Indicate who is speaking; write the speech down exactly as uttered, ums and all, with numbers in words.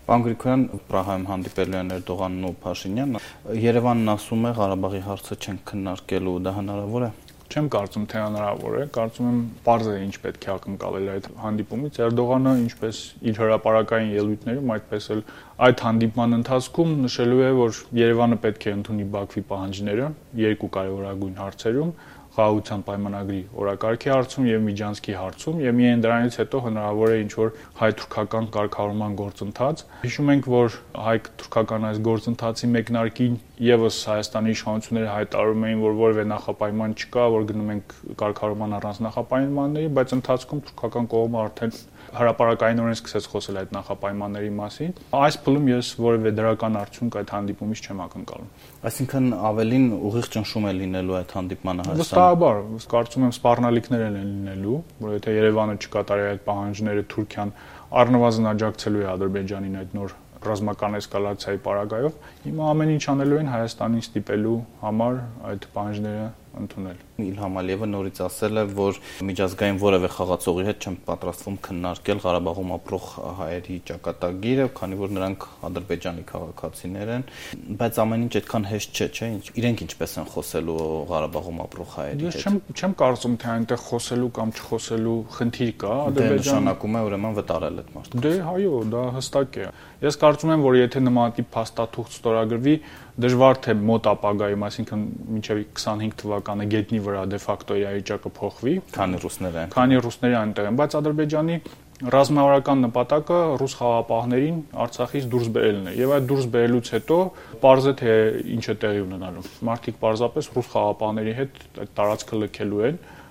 Speaker 1: Պարոն Գրիգորյան, Պրահայում հանդիպելու են Էրդողանն ու Փաշինյանը, Երևանն ասում է Ղարաբաղի հարցը չենք քննարկելու, դա հնարավոր է։
Speaker 2: Չեմ կարծում, թե հնարավոր է, կարծում եմ պարզ է ինչ պետք է ակնկալել այդ հանդիպումից։ Էրդողանը, ինչպես իր հրապարակային ելույթներում, այդպես էլ այդ հանդիպման ընթացքում նշելու է, որ Երևանը պետք է ընդունի Բաքվի պահանջները երկու կարևորագույն հարցերում՝ խաղաղության պայմանագրի օրակարգի հարցում եւ Միջանցքի հարցում, եւ միայն դրանից հետո հնարավոր է ինչ-որ հայ-թուրքական կարգավորման գործընթաց։ Հիշում ենք, որ հայ-թուրքական այս գործընթացի մեկնարկին եւս Հայաստանի իշխանությունները հայտարարում էին, որ որևէ նախապայման չկա, որ գնում ենք կարգավորման առանց նախապայմանների, բայց ընթացքում թուրքական կողմը արդեն հրապարակայինորեն սկսեց խոսել այդ նախապայմանների մասին։ Այս փուլում ես որևէ դրական արդյունք այդ հանդիպումից չեմ ակնկալում։
Speaker 1: Այսինքն ավելին ուղիղ ճնշում է լինելու այդ հանդիպմանը Հայաստանում։
Speaker 2: Վստահաբար, կարծում եմ սպառնալիքներ են լինելու, որ եթե Երևանը չկատարի այդ պահանջները, Թուրքիան առնվազն աջակցելու է Ադրբեջանին այդ նոր ռազմական էսկալացիայի պարագայով, հիմա ամեն ինչ անելու են Հայաստանին ստիպելու համար այդ պահանջները ընդունել։
Speaker 1: Իլհամ Ալիևը նորից ասել է, որ միջազգային որևէ խաղացողի հետ չեն պատրաստվում քննարկել Ղարաբաղում ապրող հայերի ճակատագիրը, քանի որ նրանք Ադրբեջանի քաղաքացիներ են, բայց ամեն ինչ այդքան հեշտ չէ, չէ՞, իրենք ինչպես են խոսելու Ղարաբաղում ապրող հայերի հետ։
Speaker 2: Ես չեմ չեմ կարծում, թե այնտեղ խոսելու կամ չխոսելու խնդիր կա,
Speaker 1: Ադրբեջանը նշանակում է ուրեմն վտարել այդ մարդը։
Speaker 2: Դե այո, դա հստակ է։ Ես կարծում եմ, որ եթե նմանատիպ փաստաթուղթ ստորագրվի, դժվար թե մոտ ապագայում, այսինքն մինչև քսանհինգ թվականը գետնի վրա դե ֆակտո իրավիճակը փոխվի,
Speaker 1: քանի ռուսներ են։
Speaker 2: Քանի ռուսները այնտեղ են, բայց Ադրբեջանի ռազմավարական նպատակը ռուս խաղաղապահներին Արցախից դուրս բերելն է, եւ այդ դուրս բերելուց հետո պարզ է թե ինչ է տեղի ունենալու։ Մարդիկ պարզապես ռուս խաղաղապահների հետ այդ տարածքը լքելու են,